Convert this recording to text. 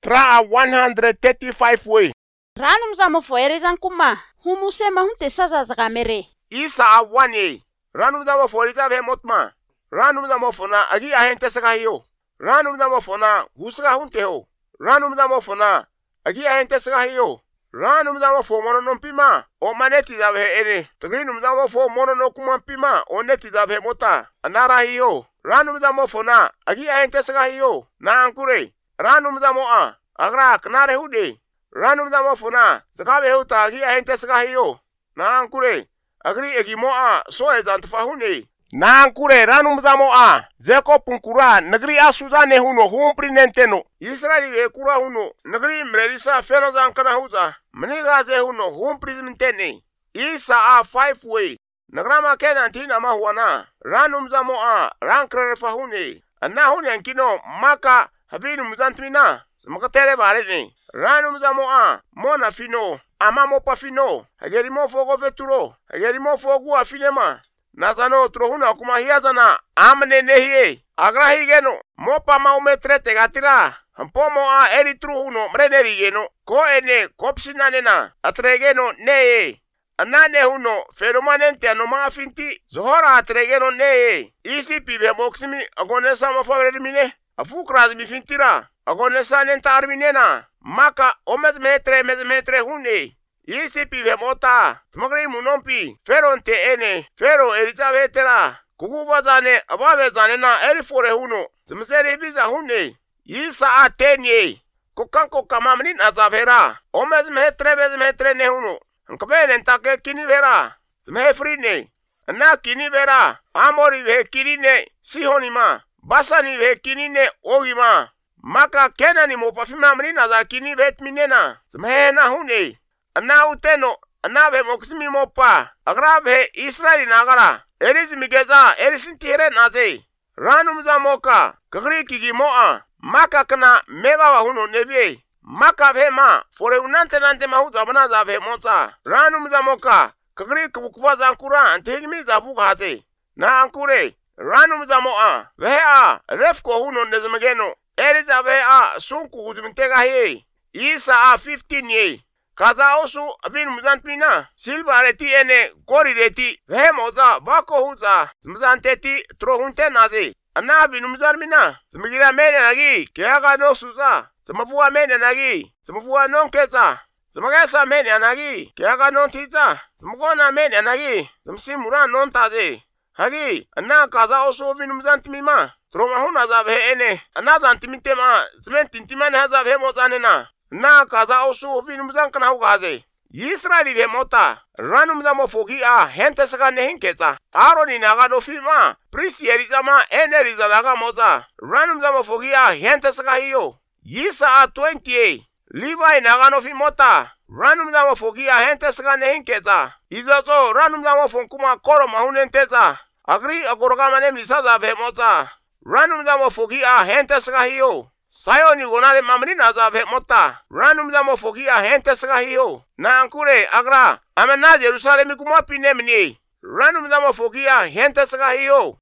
Tra 135 way. Rano mzamo foerezan kuma. Humusema hunte sasa zakamere. Isa 1 ye. Rano mzamo foeriza ve motma. Rano mzamo fona agi ahente saka hiyo. Rano mzamo fona husaka hunte ho. Rano mzamo fona agi ahente saka hiyo. Rano mzamo fo mono no pima. O maneti za ve ene. Tagino mzamo fo mono no kuma pima. O neti za ve mota. Anara hiyo. Rano mzamo fona agi ahente saka hiyo. Na ankure. Rano mzamo a. Agra knare hude. Rano mzamo fona zakabe huta agi ahente saka hiyo. Na ankure. Agri egimo a so ezantfa hune. Na ankure rano mzamo a. Zeko punkura nagri a sudane huno humpri nenteno. Israeli ve kura huno. Nagri mrelisa feno zankana huza. Mniga ze huno humpri zmintene. Isa a 5 way. Nagrama kena antina mahuana. Rano mzamo a. Rankre fahune. Anna hune ankino maka habinu mzantmina. Smakatele barene. Rano mzamo a. Mona fino. Ama mopa fino. Hagerimo fogo veturo. Hagerimo fogo afinema. Nazano trohuna kuma hiazana. Amne nehie. Agrahi geno. Mopa maumetrete gatira. Hampomo a eritruhuno mreneri geno. Ko ene kopsinanena. Atregeno neye. Anane huno feromanente anoma finti. Zohora atregeno neye. Isi pibe moksimi agonesa mafavermine. Afukraz mi fintira. Agonesa nenta arminena. Maka mezmetre hune. Isi pibe mota. Smagri munompi. Feronte ene. Fero erizavetera. Kuguba zane ababe zane na erifore huno. Smseri biza hune. Isa atenye. Kokanko kamamnin azavera. Mezmetre ne huno. Nkabene ntake kini vera. Smefrine. Na kini vera. Amori ve kinine. Sihonima. Basani ve kinine ogima. Maka kena ni mopafima mrina za kini vetminena. Smehena hune. Ana uteno. Ana ve moksimi mopa. Agrave Israeli nagara. Erisi migeza. Erisi tire naze. Ranu mza moka. Kagri kigi moa. Maka kana meba wa huno nebye. Maka vema. Fore unante nante mahuza banaza ve mota. Ranu mza moka. Kagri kubukuba za ankura. Antehigimi za buka hate. Na ankure. Ranu mza moa. Vea. Refko huno nezemegeno. Erisa vea. Sunku uzimintega hie. Isa a 15 ye. Kaza osu abin muzantmina. Silva reti ene gori reti. Vehe moza bako huza. Muzanteti trohunte naze. Anna abin muzarmina. Smigira mene nagi. Keaga no suza. Smafuwa mene nagi. Smafuwa non keza. Smagesa mene nagi. Keaga non tiza. Smagona mene nagi. Smsimura non taze. Hagi. Anna kaza osu abin muzantmima. Troma huna za vehe ene. Anna zantimintema. Smentintimane haza vehe mozanena. Na kaza osu vinu mzankana hugaze. Israeli ve mota. Ranu mzamo fogi a hente saka nehinkeza. Aroni naga no fima. Pristi erizama eneriza naga moza. Ranu mzamo fogi a hente saka hiyo. Yisa a 20. Levi naga no fimota. Ranu mzamo fogi a hente saka nehinkeza. Izazo ranu mzamo fonkuma koro mahunenteza. Agri agorogama nemlisaza ve mota. Ranu mzamo fogi a hente saka hiyo. Sayoni gonare mamrina za ve mota. Ranu mzamo fogi a hente saka hiyo. Na ankure agra. Amena Jerusalemi kuma pinemni. Ranu mzamo fogi a hente saka hiyo.